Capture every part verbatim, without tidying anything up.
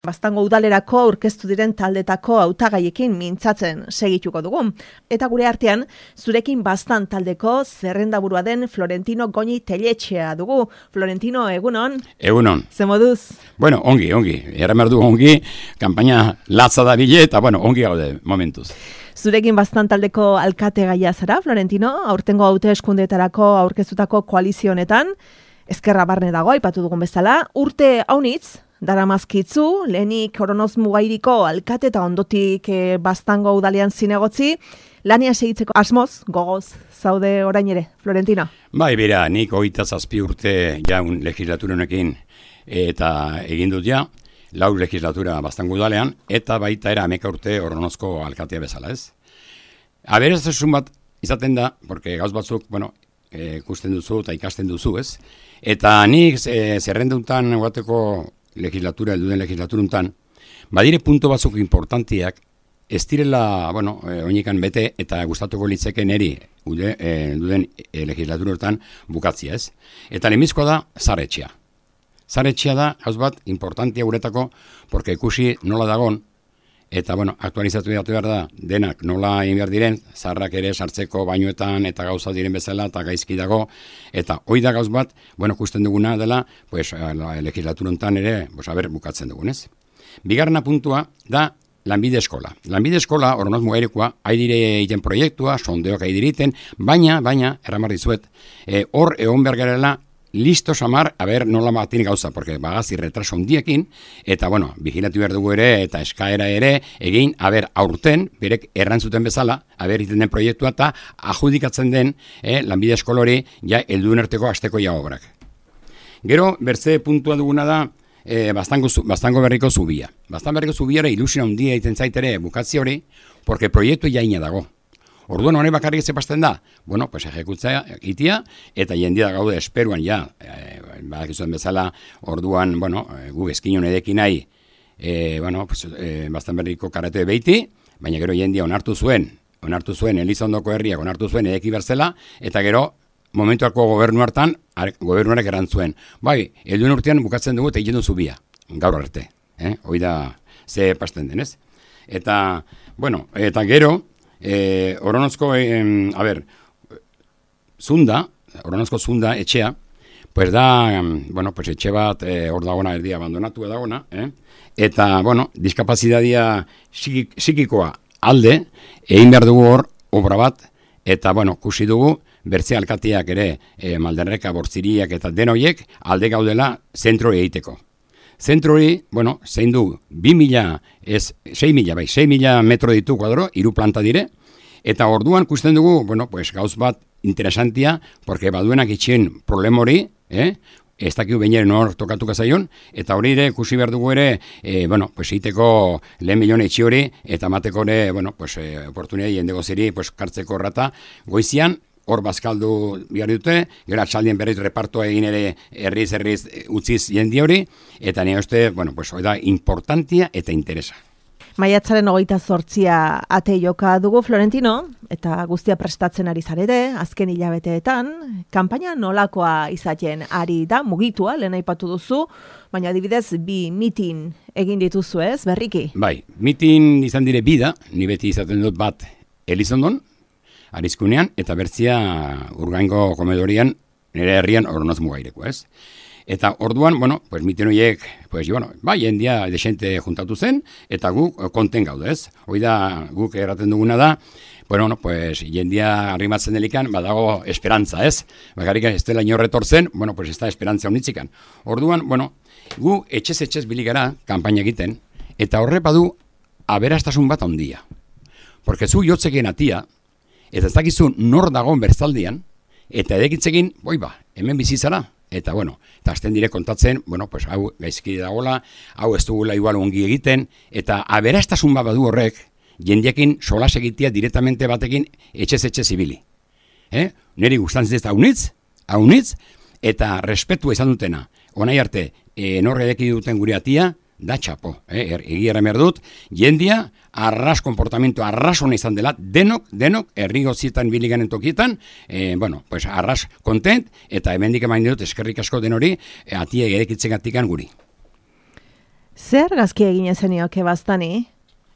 Baztango udalerako aurkeztu diren taldetako hautagaiekin mintzatzen segituko dugu. Eta gure artean, zurekin Baztan taldeko zerrendaburua den Florentino Goñi Telletxea dugu. Florentino, egunon? Egunon. Ze moduz? Bueno, ongi, ongi. Erremerdu ongi, kanpaina latza da bile, eta bueno, ongi gaude momentuz. Zurekin Baztan taldeko alkate gaia zara, Florentino, aurtengo hauteskundeetarako aurkeztutako koalizio honetan, ezkerra barne dago, aipatu dugun bezala, urte haunitz, daramazkitzu, lehenik Oronoz Mugairiko alkate eta ondotik e, Baztango udalean zinegotzi, lania segitzeko asmoz, gogoz, zaude orain ere, Florentino? Bai, bera, nik hogeita zazpi urte jaun legislatura honekin eta egin dut ja, lau legislatura Baztango udalean, eta baita era ameka urte Oronozko alkatea bezala, ez? Aberastutasun bat izaten da, porque gauz batzuk, bueno, ikusten duzu eta ikasten duzu, ez? Eta nik e, zerrenduntan guateko legislatura, elduden legislaturuntan, badire punto batzuk importantiak, ez direla, bueno, e, oinikan bete eta gustatuko litzeke neri ude, e, elduden e, legislaturuntan bukatzia, ez? Eta lehenbizkoa da zaretxea. Zaretxea da, hauz bat, importantia guretako, porque ikusi nola dagon, eta, bueno, aktualizatu behar da, denak nola egin behar diren, zarrak ere sartzeko bainuetan eta gauza diren bezala, eta gaizki dago, eta hoi da gauz bat, bueno, ikusten duguna dela, pues, legislaturontan ere, pues, haber, bukatzen dugunez. Bigarrena puntua da lanbide eskola. Lanbide eskola, Oronoz Mugairikoa, haidire egiten proiektua, sondeok haidire egiten, baina, baina, erramar dizuet, e, hor egon behar garela, listo samar, a ber, nola batin gauza, porque bagazi retraso handiekin, eta, bueno, vigilatu behar dugu ere, eta eskaera ere, egin, a ber, aurten, berek errantzuten bezala, a ber, iten den proiektua, eta adjudikatzen den, eh, lanbide eskolori, ja, helduen arteko asteko ja obrak. Gero, bertze puntua duguna da, eh, Baztango, Baztango berriko zubia. Baztango berriko zubiara ilusio handia egiten zaitere bukatzi hori, porque proiektu jaina dago. Orduan hori bakarrik zepazten da, bueno, pues ejekutzea itia, eta jendia gaude esperuan ja, e, badakizuen bezala, orduan, bueno, gu eskinon edekin nahi, e, bueno, pues, e, Baztan berriko karate behiti, baina gero jendia onartu zuen, onartu zuen Elizondoko herriak onartu zuen edeki berzela, eta gero, momentuako gobernu hartan, gobernuarak erantzuen. Bai, helduen urtean bukatzen dugu eta egin du zubia, gaur arte, eh? Hoi da ze pasten denez. Eta, bueno, eta gero, Eh, Oronozko, eh, a ver, zunda, Oronozko zunda etxea, pues da, bueno, pues etxe bat eh, hor dagona erdia abandonatu edagona, eh? Eta, bueno, diskapazitatea psikikoa alde, egin behar dugu hor obra bat, eta, bueno, kusi dugu, bertze alkateak ere, eh, Malderreka, Bortziriak eta denoiek, alde gaudela zentro egiteko. Zentro hori, bueno, zein du, bi mila, ez, sei mila, bai, sei mila metro ditu kuadro, hiru planta dire, eta orduan kusten dugu, bueno, pues gauz bat interesantia, porque baduenak itxien problem hori, eh, ez dakiu bainaren hor tokatuka zaion, eta hori ere, kusi behar dugu ere, eh, bueno, pues iteko lehen milione itxi hori, eta mateko ere, bueno, pues, eh, oportunidad jendego ziri, pues, kartzeko rata, goizian, hor bazkaldu behar dute, gero atxaldien berriz repartoa egin ere herriz herriz utziz jendi hori, eta nire uste, bueno, pues, hori da importantia eta interesa. Maiatzaren hogeita zortzia ate joka dugu, Florentino, eta guztia prestatzen ari zarete, azken hilabeteetan, kanpaina nolakoa izaten ari da, mugitua, lehen aipatu duzu, baina adibidez bi mitin egin dituzu ez, berriki? Bai, mitin izan dire bida, ni beti izaten dut bat Elizondon, Arizkunean, eta bertzia Urgaingo komedorian, nire herrian Oronoz Mugaireko, ez? Eta orduan, bueno, pues miten horiek, pues, bueno, bai, jendia desente juntatu zen, eta guk konten gaude, ez? Hoi da, guk erraten duguna da, bueno, no, pues, jendia arrimatzen delikan, badago esperantza, ez? Bakarrik ez dela inorretor zen, bueno, pues, ez da esperantza honitzikan. Orduan, bueno, gu etxez-etxez biligara, kanpaina egiten, eta horre badu, aberastasun bat handia. Porque zu jotzekeen atia, eta ez dakizu nor dagoen berzaldian, eta edekitzekin, boi ba, hemen bizizara, eta bueno, eta azten dire kontatzen, bueno, pues hau gaizki dagoela, hau ez dugula igual ongi egiten, eta aberastasun bat badu horrek, jendiekin solas egitea directamente batekin etxez-etxe zibili. Eh? Neri gustantzen ez da haunitz, haunitz, eta respetua izan dutena. Honai arte, e, norre edeki duten gure atia, da txapo, eh? er, egia erremer dut, jendia, arras komportamentu, arras hona izan dela, denok, denok, herri gozietan biliganen tokietan, eh, bueno, pues arras kontent, eta hemendik emain dut eskerrik asko den hori, eh, atia erekitzen gatikan guri. Zer argazki eginen zenioke baztani?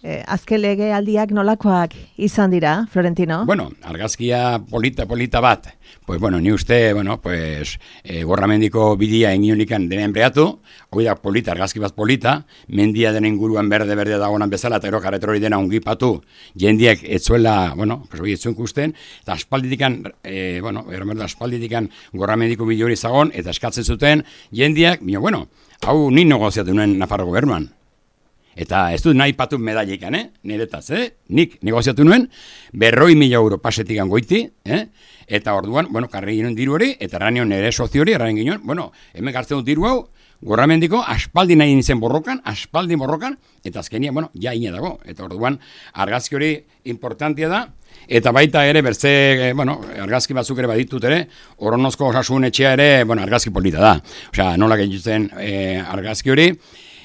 Eh, azken lege aldiak nolakoak izan dira, Florentino? Bueno, argazkia polita, polita bat. Pues bueno, ni uste, bueno, pues eh, gorramendiko bidia enionikan dena enbreatu, hoi da polita, argazki bat polita, mendia dena inguruan berde-berde dagoenan bezala, eta gero karretrori dena ongipatu, jendiak etzuela, bueno, pues hoi etzuen kusten, eta aspalditikan, eh, bueno, ermerda aspalditikan gorramendiko bide hori zagon, eta eskatzen zuten, jendiak, bino, bueno, hau ni negoziatu nuen Nafarro gobernuan. Eta ez dut nahi patu medallikan, eh? Niretaz, eh? Nik negoziatu nuen, berroi mila euro pasetikan goiti, eh? Eta orduan, bueno, karri ginen diru hori, eta erran nire sozio hori, erran ginen, bueno, hemen gartzen dut diru hau, gorramendiko, aspaldi nahi nintzen borrokan, aspaldi borrokan, eta azkenia, bueno, ja ine dago. Eta orduan, argazki hori importantia da, eta baita ere, berze, eh, bueno, argazki batzuk ere baditut ere, Oronozko osasun etxea ere, bueno, argazki polita da. Osea, nola gehiatzen eh, argazki hori,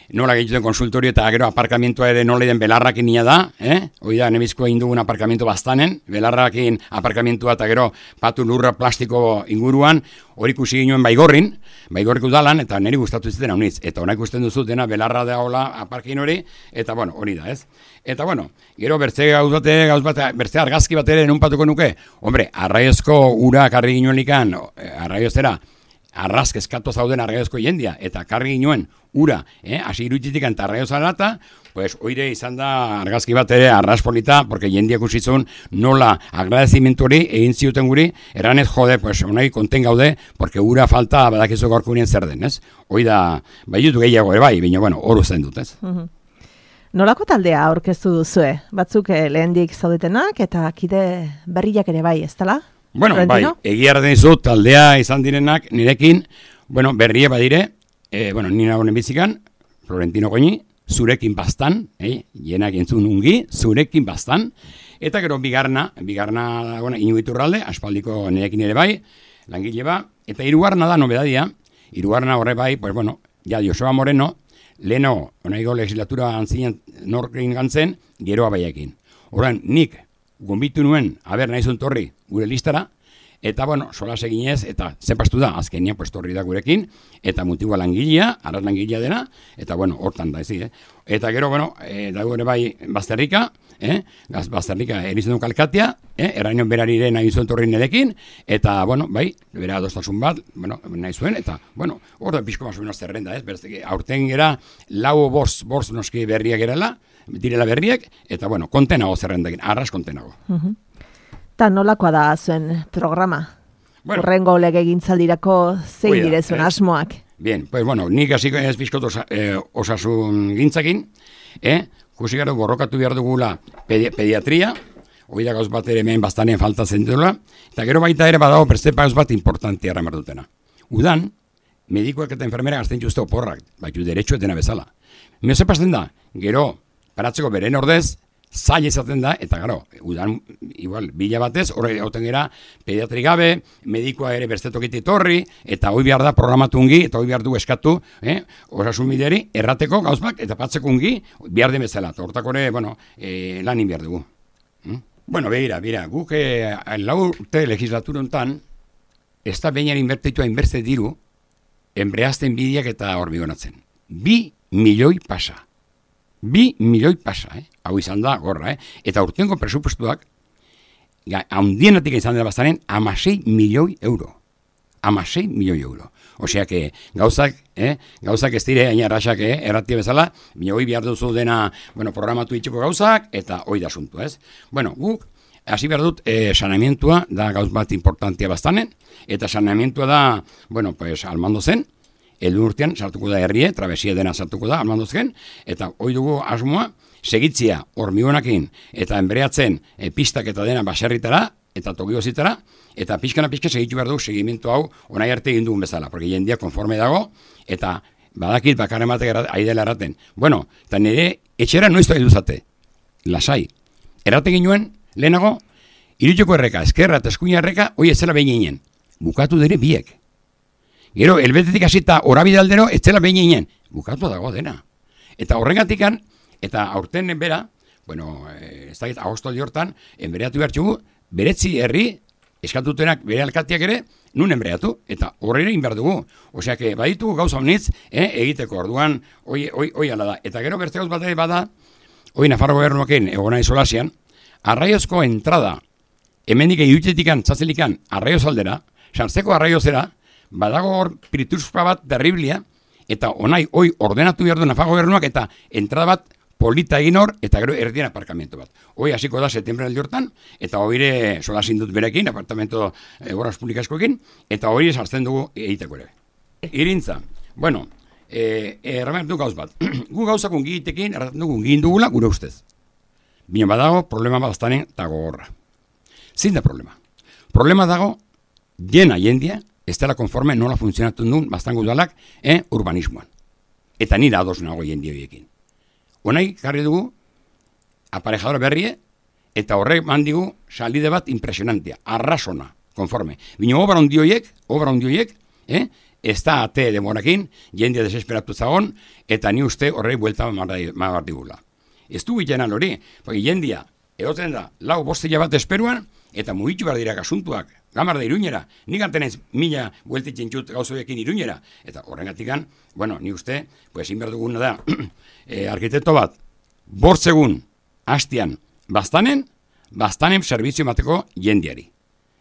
nola gehiatzen konsultorio eta gero aparkamentua ere nola den belarrakin nia da, eh? Hoi da, nebizko egin dugun aparkamentu bastanen, belarrakin aparkamentua eta gero patu lurra plastiko inguruan, hori ikusi ginoen baigorrin, baigorrik udalan, eta niri gustatu zuten haunitz. Eta hona ikusten duzu dena belarra da hola aparkin hori, eta bueno, hori da, ez? Eta bueno, gero bertze gauz bate, gauz bate, bertze argazki bat ere enunpatuko nuke, hombre, arraiozko ura karri ginoen likan, arraiozera, arrazk eskatu zauden arraiozko jendia, eta karri ginoen ura, eh, hasi irutitik eta arraiozara eta, pues, oire izan da argazki bat ere arrazpolita, porque jendiak usitzun nola agradezimentu hori egin ziuten guri, erranez jode, pues, onai konten gaude, porque ura falta badakizu gaurko unien zer den, ez? Hoi da, bai dutu gehiago ere bai, baina, bueno, horu zen dut, ez? Mm-hmm. Nolako taldea aurkeztu duzue? Batzuk eh, lehendik zaudetenak eta kide berriak ere bai, ez dela? Bueno, Florentino? bai, egia erraten dizut, taldea izan direnak nirekin, bueno, berrie badire, eh, bueno, nina honen bizikan, Florentino Goñi, zurekin bastan, eh, jenak entzun ungi, zurekin bastan, eta gero bigarna, bigarna, bueno, inuiturralde, aspaldiko nirekin ere bai, langile ba, eta hirugarna da nobedadia, hirugarna horre bai, pues bueno, ja Joseba Moreno, leno, onaigo legislatura antzinen norkin gantzen, geroa baiakin. Horan, nik, gonbitu nuen, haber nahi zuen torri, gure listara, eta, bueno, sola seginez, eta zenpastu da, azkenia, pues, torri da gurekin, eta mutigua langilea, araz langilea dena, eta, bueno, hortan da, ezi, eh? Eta gero, bueno, e, dago ere bai, Bazterrika, eh? Gaz, Bazterrika erizen du kalkatea, eh? Errainion berarire nahi zuen torri nedekin, eta, bueno, bai, bera adostasun bat, bueno, nahi zuen, eta, bueno, hor da pixko maso menos zerrenda, ez? Berzeke, aurten gera, lau borz, borz noski berriak gerala, direla berriak, eta, bueno, kontenago zerrendakin, arras kontenago. Uh-huh. Ta nolakoa da zuen programa? Bueno, Urrengo lege gintzaldirako zein oida, dire zuen ez, asmoak? Bien, pues bueno, nik hasiko ez bizkot osa, eh, osasun gintzakin, eh? Kusi gara borrokatu behar dugula pedi pediatria, hori da gauz bat ere hemen bastanen falta zentuela, eta gero baita ere badago perzepa gauz bat importantia erramar dutena. Udan, medikoak eta enfermera gazten juzte oporrak, baitu derecho etena bezala. Meo zepasten da, gero, paratzeko beren ordez, zaila izaten da, eta gero, udan, igual, bila batez, horre hauten gera, pediatri gabe, medikoa ere berstetokiti torri, eta hoi behar da programatungi, eta hoi behar du eskatu, eh, osasun bideri, errateko gauzbak, eta patzekungi, behar den bezala, eta hortako ere, bueno, eh, lanin behar dugu. Hmm? Bueno, behira, behira, guk eh, lau urte legislatura hontan, ez da behinan inbertitua inbertze diru, enbreazten bidiak eta hormigonatzen. Bi milioi pasa. Bi milioi pasa, eh? Hau izan da, gorra, eh? Eta urtengo presupuestuak, handienatik izan dela bastanen, amasei milioi euro. Amasei milioi euro. Osea, que gauzak, eh? Gauzak ez dire, aina erraxak, eh? Erratia bezala, milioi behar duzu dena, bueno, programatu itxeko gauzak, eta hoi da asuntu, ez? Bueno, guk, hasi behar dut, eh, saneamientua da gauz bat importantia bastanen, eta saneamientua da, bueno, pues, almando zen, edu urtean sartuko da herrie, trabesia dena sartuko da, almandozken, eta hoi dugu asmoa, segitzia hormigonakin, eta enbreatzen e, pistak eta dena baserritara, eta tokiozitara, eta pixkana pixka segitu behar dugu segimentu hau onai arte egin dugun bezala, porque jendia konforme dago, eta badakit bakarren batek aidela erraten. Bueno, eta nire etxera noiztu egin duzate, lasai. Erraten ginoen, lehenago, irutxoko erreka, eskerra eta eskuina erreka, hoi etzela behin ginen. Bukatu dire biek. Gero, elbetetik hasita horabide aldero, ez zela behin ginen. Bukatu dago dena. Eta horregatikan, eta aurten bera, bueno, ez dakit, agosto hortan, enbereatu behar txugu, beretzi herri, eskatutenak bere alkateak ere, nun enbreatu, eta horre inbar dugu. Osea, que baditugu gauza honitz, eh, egiteko orduan, oi, oi, oi ala da. Eta gero beste gauz bat ere bada, oi Nafarro gobernuakin egona izolasian, arraiozko entrada, hemendik egiutetikan, txatzelikan, arraioz aldera, sartzeko arraiozera, badago hor pirituzpa bat terriblia, eta onai, oi, ordenatu behar du Nafarro gobernuak, eta entrada bat polita egin hor, eta gero erdien aparkamentu bat. Hoi hasiko da septiembre aldi hortan, eta hoire solasin dut berekin, apartamento e, horaz publikaskoekin, eta hoire sartzen dugu egiteko ere. Irintza, bueno, e, erramertu gauz bat. Gu gauzak ungitekin, erraten dugu ungin dugula, gure ustez. Bino badago, problema baztanen dago horra. Zin da problema. Problema dago, jena jendia, ez dela konforme nola funtzionatu duen baztango udalak eh, urbanismoan. Eta nira ados nago jendia horiekin. Honai, jarri dugu, aparejadora berrie, eta horrek mandigu salide bat impresionantia, arrasona, konforme. Bino, obra ondioiek, obra ondioiek, eh, ez da ate demorakin, jendia desesperatu zagon, eta ni uste horrek buelta mabar digula. Ez du gitena hori, porque jendia, egoten da, lau bostila bat esperuan, eta mugitu behar dira asuntuak, gamar da iruñera, nik antenez mila bueltitzen txut gauzoekin iruñera, eta horrengatikan, bueno, ni uste, pues inber duguna da, e, arkitekto bat, bortzegun, hastian, bastanen, bastanen servizio mateko jendiari.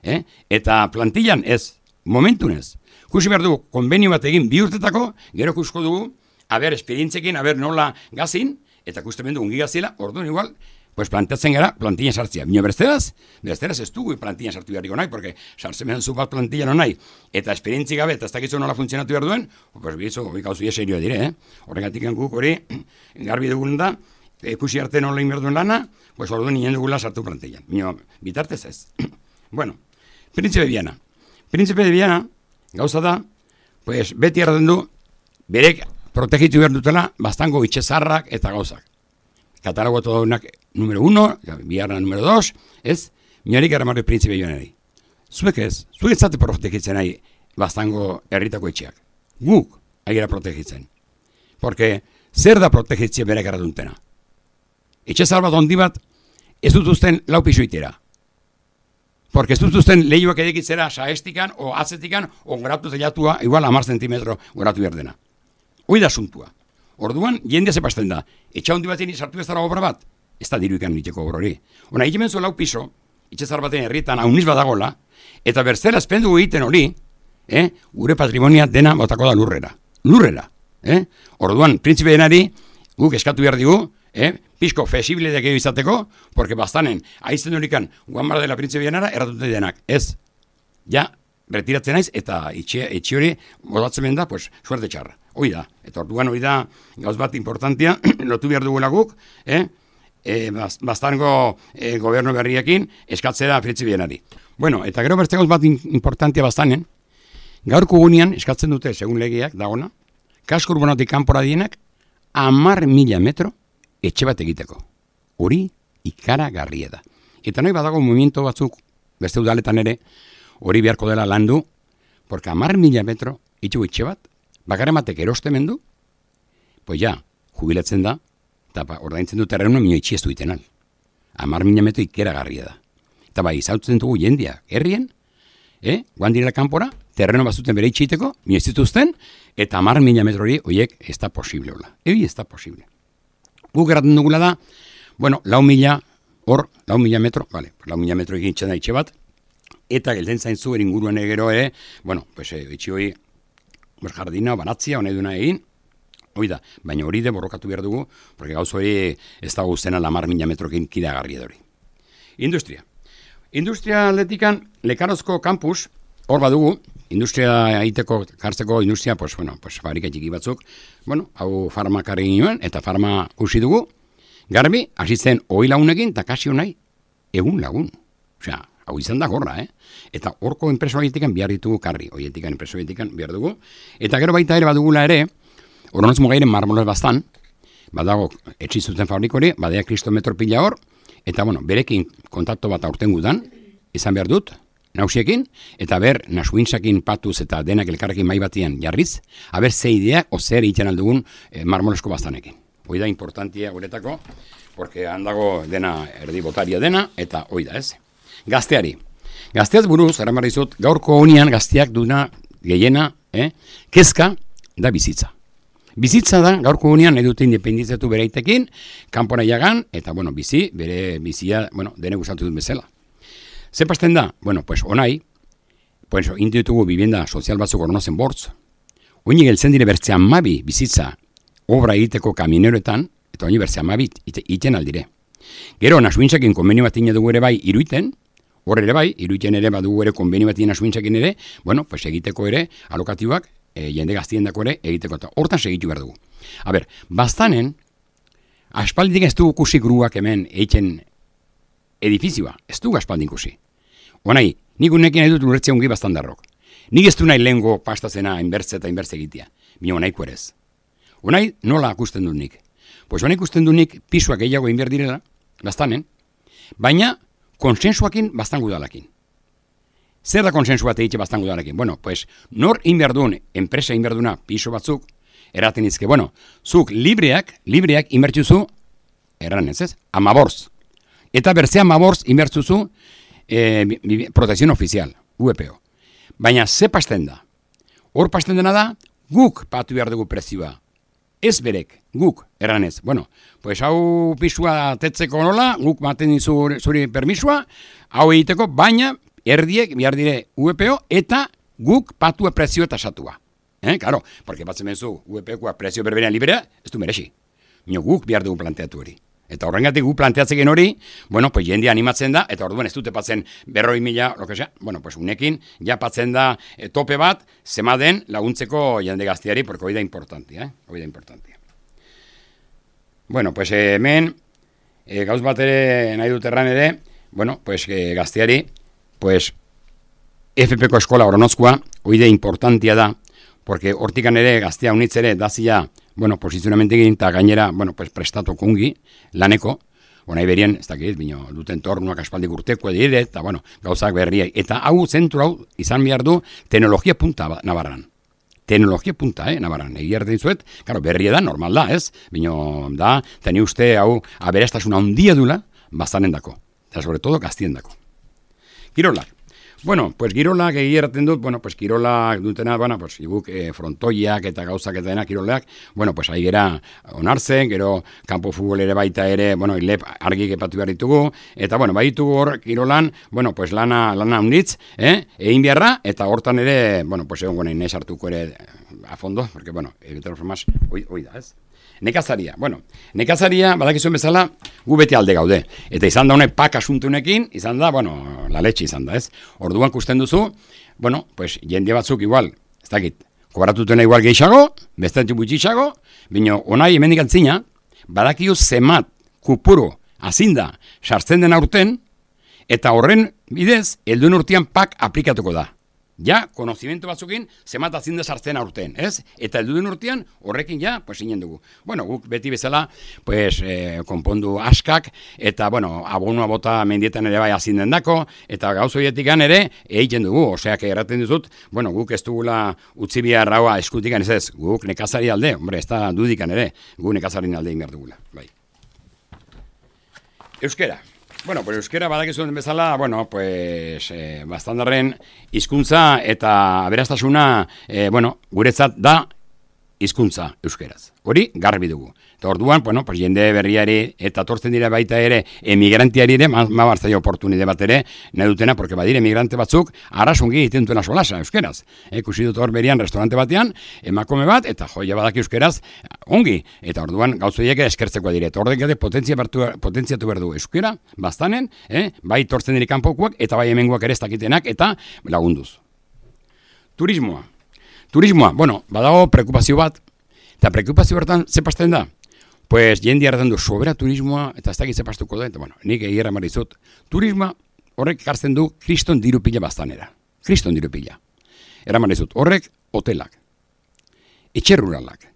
Eh? Eta plantillan ez, momentunez, kusi behar dugu, konbenio bat egin bi urtetako, gero kusko dugu, haber esperientzekin, haber nola gazin, eta kusten bendu ungi gazila, orduan igual, pues planteatzen gara plantillan sartzia. Bino beresteraz, beresteraz ez dugu plantillan sartu beharriko nahi, porque sartzen behar zu bat plantillan nahi, eta esperientzi gabe, eta ez dakitzu nola funtzionatu behar duen, pues bizo, gauzu ia serioa dire, eh? Horregatik guk hori, garbi dugun da, ikusi arte nola inber duen lana, pues orduan nien dugula sartu plantillan. Bino, bitartez ez. Bueno, Príncipe Viana. Príncipe de Viana, gauza da, pues beti erraten du, berek protegitu behar dutela, bastango itxezarrak eta gauzak. Katalogo todonak número uno, biharna número dos, ez? Miorik erramarri Príncipe Vianari. Zuek ez, zuek ez zate protegitzen nahi bastango herritako etxeak. Guk aigera protegitzen. Porque zer da protegitzea berek erraduntena? Etxezar bat ondi bat ez dutuzten lau pisuitera. Porque ez dutuzten lehioak edekitzera saestikan o atzetikan o gratu zelatua igual amar zentimetro gratu berdena. Hoi da asuntua. Orduan, jendea zepazten da. Etxa hondi batean sartu ez dara obra bat, ez da diru ikan niteko obra hori. Ona, egin benzu lau piso, itxezar batean herrietan hauniz badagola, eta berzera espendu egiten hori, eh, gure patrimonia dena botako da lurrera. Lurrera. Eh? Orduan, Príncipe Vianari, guk eskatu behar digu, eh, pizko fesible dekeo izateko, porque bastanen, aizten horikan, guan bar dela Príncipe Vianara, erratute denak. Ez, ja, retiratzen naiz, eta itxe, etxe hori bodatzen ben da, pues, suerte txarra. Hoi da, eta orduan hoi da, gauz bat importantia, lotu behar dugula guk, eh? E, bastango e, gobernu berriekin eskatzera Príncipe Vianari. Bueno, eta gero beste gauz bat importantia bastanen, gaurko gunean eskatzen dute, segun legeak, dagona, kasko urbanotik kanpora dienak, amar mila metro etxe bat egiteko. Hori ikaragarria da. Eta nahi badago movimiento batzuk, beste udaletan ere, hori beharko dela landu, porque amar mila metro itxu etxe bat, bakarren batek erostemen du, pues ja, jubilatzen da, eta ordaintzen du terreno minio itxi ez du itenal. Amar mila metro ikeragarria da. Eta bai, izautzen dugu jendia, herrien, eh, guan direla kanpora, terreno bazuten bere itxiteko, minio ez dituzten, eta amar mila metro hori, oiek, ez da posible hola. Egi ez da posible. Guk erraten dugula da, bueno, lau mila, hor, lau mila metro, vale, lau mila metro egin itxen da itxe bat, eta gelden zaintzu eringuruan egero ere, bueno, pues, eh, itxi hori, pues, jardina, banatzia, hone duna egin, hoi da, baina hori de borrokatu behar dugu, porque gauz hori ez da guztena lamar mila metrokin kidagarri edori. Industria. Industria atletikan, Lekarozko kampus, hor badugu, industria egiteko, kartzeko industria, pues, bueno, pues, fabrika txiki batzuk, bueno, hau farmakarri ginoen, eta farma usi dugu, garbi, hasitzen hoi lagunekin, eta kasi honai, egun lagun. Osea, hau izan da gorra, eh? Eta horko enpreso egitekan behar ditugu karri, hoietikan enpreso egitekan behar dugu, eta gero baita ere badugula ere, Oronoz mugairen marmolez bastan, badago etxi zuten fabrikori, badea kristometro pila hor, eta bueno, berekin kontakto bat aurten gudan, izan behar dut, nausiekin, eta ber, nasuintzakin patuz eta denak elkarrekin mai batian jarriz, haber ze idea, o zer egiten aldugun eh, marmolesko bastanekin. Hoi da importantia guretako, porque handago dena erdi botaria dena, eta hoi da ez. Gazteari. Gazteaz buruz, eraman dizut, gaurko honian gazteak duna gehiena, eh? kezka da bizitza. Bizitza da, gaurko honian nahi dute independitzatu bereitekin, kanpora jagan, eta, bueno, bizi, bere bizia, bueno, dene gustatu dut bezala. Ze pasten da? Bueno, pues, onai, pues, inditugu bibienda sozial batzuk ornozen bortz, oini geltzen dire bertze amabi bizitza obra egiteko kamineroetan, eta oini bertze amabi iten aldire. Gero, nasuintzakin konbenio bat dugu ere bai iruiten, hor ere bai, iruiten ere badugu ere konbenio bat nasuintzakin ere, bueno, pues egiteko ere, alokatibak, e, jende gaztien dako ere, egiteko eta hortan segitu behar dugu. A ber, bastanen, aspaldik ez dugu kusi gruak hemen egiten edifizioa, ez dugu aspaldik kusi. Honai, nik unekin edut lurretzea ungi bastandarrok. Nik ez du nahi lehengo pastazena inbertze eta inbertze egitea. Bino honaiko erez. Honai, nola akusten dut nik? Pues honaik ikusten dut nik pisuak gehiago inber direla, bastanen, baina konsensuakin bastan gudalakin. Zer da konsensua teitxe bastan gudalakin? Bueno, pues, nor inberdun, enpresa inberduna piso batzuk, eraten izke, bueno, zuk libreak, libreak inbertzuzu, erran ez ez, amaborz. Eta berzea amaborz inbertzuzu eh, protección oficial, U E P O. Baina ze pasten da? Hor pasten dena da, guk patu behar dugu prezioa. Ez berek, guk, erranez. Bueno, pues hau pisua tetzeko nola, guk maten zuri, zuri permisua, hau egiteko, baina erdiek behar dire U E P O eta guk patua prezio eta satua. Eh, claro, porque batzen benzu U E P Oa prezio berberean librea, ez du merexi. Mino guk behar dugu planteatu hori. Eta horrengatik gu planteatzeken hori, bueno, pues jende animatzen da, eta orduan ez dute patzen berroi mila, lo que sea, bueno, pues unekin, ja patzen da e, tope bat, zema den laguntzeko jende gazteari, porque hori da importantia, eh? Hori da importantia. Bueno, pues eh, hemen, eh, gauz bat ere nahi dut erran ere, bueno, pues eh, gazteari, pues F P ko eskola Oronozkoa, hori da importantia da, porque hortikan ere gaztea unitz ere dazia, bueno, posizionamente egin, eta gainera, bueno, pues prestatu kungi, laneko, bona iberien, ez dakit, bino, duten tornuak aspaldik urteko dire, eta, bueno, gauzak berriai. Eta hau, zentru hau, izan behar du, teknologia punta nabarran. Teknologia punta, eh, nabarran. Egi erdin zuet, karo, berria da, normal da, ez? Bino, da, teni uste, hau, aberastasuna handia dula, bastanen dako. Eta, sobre todo, gaztien dako. Kirolak. Bueno, pues girolak egiraten dut, bueno, pues kirolak dutena, bueno, pues iguk eh, frontoiak eta gauzak eta dena kirolak, bueno, pues ahi gera onartzen, gero kanpo futbol ere baita ere, bueno, ilep argi epatu behar ditugu, eta, bueno, baitugu hor kirolan, bueno, pues lana, lana unitz, eh, egin beharra, eta hortan ere, bueno, pues egon gonein ez hartuko ere a fondo, porque, bueno, egitea formaz, oi, oi da, ez? Nekazaria, bueno, nekazaria, badakizuen bezala, gu beti alde gaude. Eta izan da honek pak asuntunekin, izan da, bueno, la leche izan da, ez? Orduan kusten duzu, bueno, pues jende batzuk igual, ez dakit, kobaratutena igual gehiago, bestetu gutxixago, bino, onai hemendik antzina, badakio zemat, kupuru, azinda, sartzen den aurten, eta horren bidez, helduen urtean pak aplikatuko da. Ja, konozimento batzukin, zemat azinda sartzen aurten, ez? Eta helduen urtean, horrekin ja, pues inen dugu. Bueno, guk beti bezala, pues, eh, konpondu askak, eta, bueno, abonua bota mendietan ere bai azinden dako, eta gauzoietikan ere, egiten dugu, oseak erraten dizut, bueno, guk ez dugula utzi bihar raua eskutikan ez ez, guk nekazari alde, hombre, ez da dudikan ere, guk nekazarin alde ingar dugula, bai. Euskera. Bueno, pues euskera badakizuen bezala, bueno, pues eh, bastandarren hizkuntza eta aberastasuna, eh, bueno, guretzat da hizkuntza euskeraz. Hori garbi dugu. Eta orduan, bueno, pues jende berriari eta tortzen dira baita ere emigrantiari ere, ma, ma barzai oportunide bat ere, nahi dutena, porque badire emigrante batzuk, arrasungi egiten duena solasa euskeraz. E, kusi dut hor berian restaurante batean, emakome bat, eta joia badaki euskeraz, ongi. Eta orduan gauzoiek eskertzeko dire. Eta ordek gade potentzia potentziatu behar du euskera, bastanen, eh? Bai tortzen diri kanpokuak, eta bai hemengoak ere ez dakitenak, eta lagunduz. Turismoa. Turismoa, bueno, badago preokupazio bat, eta preokupazio bertan ze pasten da? Pues jende hartan du sobera turismoa, eta ez dakit ze pastuko da, eta bueno, nik egirra marizut. Turismoa horrek ekartzen du kriston diru pila bastanera. Kriston diru pila. Era marizut, horrek hotelak, etxe ruralak,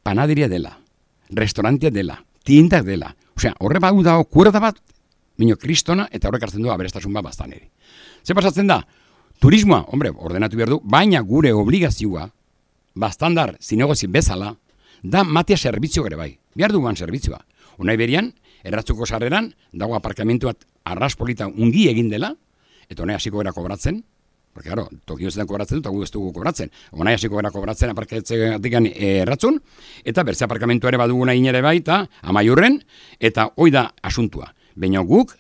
panaderia dela, restaurantia dela, tiendak dela. Osea, horre bau dago kuerda bat, minio kristona, eta horrek hartzen du aberestasun bat bastaneri. Ze pasatzen da? Turismoa, hombre, ordenatu behar du, baina gure obligazioa, bastandar zinegozi bezala, da matea servizio gere bai. Behar duguan servizioa. Unai berian, erratzuko sarreran, dago aparkamentu bat arraspolita ungi egin dela, eta honai hasiko gara kobratzen, porque, claro, Tokio zetan kobratzen dut, eta gu ez dugu kobratzen. Honai hasiko gara kobratzen aparkatzegatik erratzun, eta berze aparkamentu ere baduguna inere baita, amaiurren, eta hoi da asuntua. Baina guk,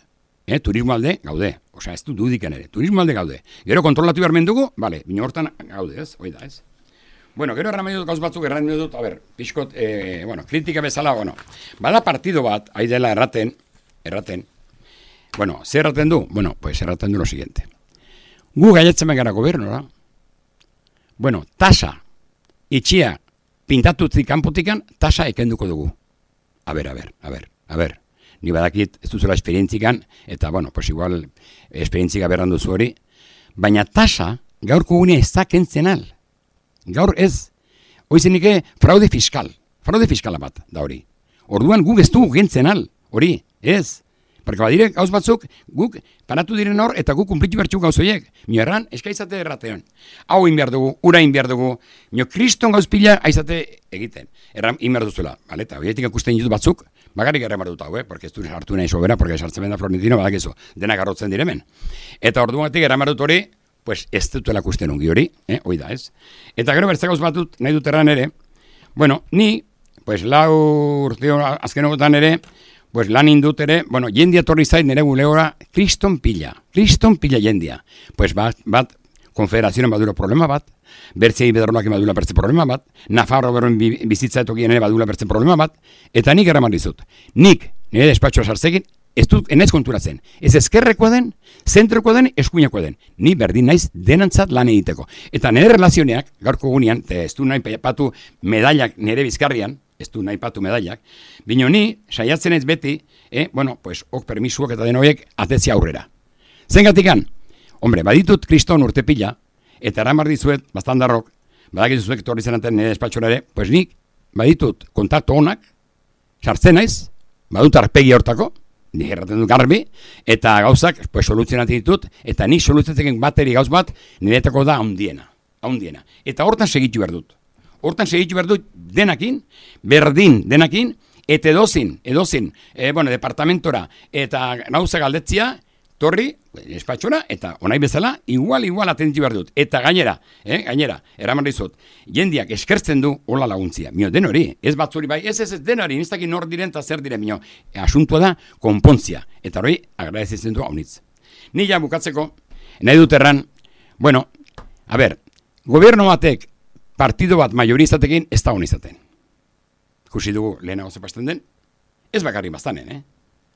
eh, turismo alde gaude, osea, ez du dudiken ere, turismo alde gaude. Gero kontrolatu behar mendugu, bale, bina hortan gaude, ez, hoi da, ez. Bueno, gero erran dut gauz batzuk, erran dut, a ber, pixkot, eh, bueno, kritika bezala, bueno, bada partido bat, hai dela erraten, erraten, bueno, zer erraten du? Bueno, pues erraten du lo siguiente. Gu gaietzen gara gobernora, bueno, tasa, itxia, pintatutzik kanpotikan, tasa ekenduko dugu. A ber, a ber, a ber, a ber. Ni badakit ez duzula esperientzikan, eta, bueno, pues igual, esperientzika berran duzu hori, baina tasa, gaurko gune ez da kentzen al. Gaur ez, hoizenike, fraude fiskal, fraude fiskala bat, da hori. Orduan guk ez dugu kentzen al, hori, ez. Porque badire gauz batzuk, guk paratu diren hor, eta guk kumplitu bertxuk gauzoiek. Mio erran, eskaizate erratean. Hau inbiar dugu, ura inbiar dugu, mio kriston gauz pila aizate egiten. Erran, inbiar duzula. Vale, eta horietik ikusten ditut batzuk, bagarrik erran barduta, eh? Porque ez du hartu nahi sobera, porque sartzen da Florentino, badakizu, dena garrotzen diremen. Eta orduatik erran bardut hori, pues ez dutela kusten ongi hori, eh? Hoi da, ez? Eta gero bertze gauz batut nahi dut erran ere, bueno, ni, pues lau urteo azkenogotan ere, pues lan indut ere, bueno, jendia torri zait nire buleora, kriston pila, kriston pila jendia. Pues bat, bat konfederazioen badura problema bat, bertzei bedronak badula bertze problema bat, Nafarro beroen bizitza etokien ere badula bertze problema bat, eta nik eraman dizut. Nik, nire despatxoa sartzekin, ez dut enez konturatzen. Ez ezkerrekoa den, zentrokoa den, eskuinakoa den. Ni berdin naiz denantzat lan egiteko. Eta nire relazioneak, gaurko gunean, ez du nahi patu medailak nire bizkarrian, ez du nahi patu medailak, bino ni, saiatzen ez beti, eh, bueno, pues, ok permisuak eta den horiek atetzia aurrera. Zengatikan, hombre, baditut kriston urte pila, eta eramar dizuet, bastandarrok, badakit zuek torri zenaten nire despatxora ere, pues nik, baditut kontaktu honak, sartzen naiz, badut arpegi hortako, nik erraten dut garbi, eta gauzak, pues, soluzionatik ditut, eta nik soluzionatik bateri gauz bat, niretako da haundiena, haundiena. Eta hortan segitu behar dut. Hortan segitu behar dut denakin, berdin denakin, eta edozin, edozin, e, bueno, departamentora, eta gauza galdetzia, torri, espatxora, eta onai bezala, igual, igual atenditu behar dut. Eta gainera, eh, gainera, eraman dizut, jendiak eskertzen du hola laguntzia. Mio, den hori, ez batzuri bai, ez ez ez den hori, niztakin nor diren eta zer diren, mio, asuntua da, konpontzia. Eta hori, agradezitzen du haunitz. Ni ja bukatzeko, nahi dut erran, bueno, a ber, goberno batek, partido bat majorizatekin ez da hon izaten. Ikusi dugu lehenago zepasten den, ez bakarrik bastanen, eh?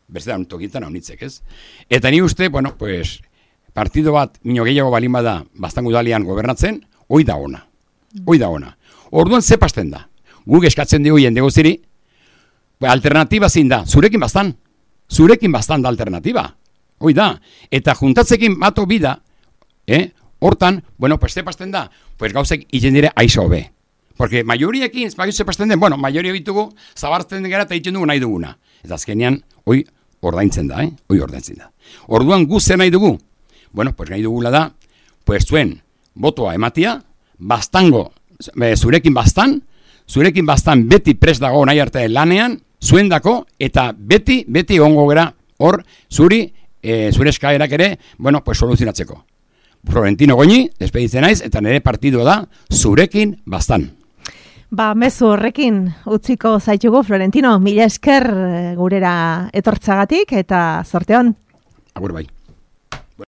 Berze da tokitan haunitzek, ez? Eta ni uste, bueno, pues, partido bat mino gehiago balin bada bastango udalian gobernatzen, hoi da ona. Hoi da ona. Orduan zepasten da. Guk eskatzen dugu jende guziri, alternatiba zin da, zurekin bastan. Zurekin bastan da alternatiba. Hoi da. Eta juntatzekin bato bida, eh? Hortan, bueno, pues zepasten da, pues gauzek hitzen dire aiza hobe. Porque maioriekin, bagizu zepasten den, bueno, maioria bitugu, zabartzen den gara eta hitzen dugu nahi duguna. Eta azkenean, hoi ordaintzen da, eh? Hoi ordaintzen da. Orduan gu zer nahi dugu? Bueno, pues nahi dugula da, pues zuen botoa ematia, bastango, zurekin bastan, zurekin bastan beti prest dago nahi arte lanean, zuen dako, eta beti, beti ongo gara, hor, zuri, e, zure eskaerak ere, bueno, pues soluzionatzeko. Florentino Goñi, despeditzen naiz, eta nire partido da, zurekin bastan. Ba, mezu horrekin utziko zaitugu, Florentino, mila esker gurera etortzagatik, eta zorte hon. Agur bai.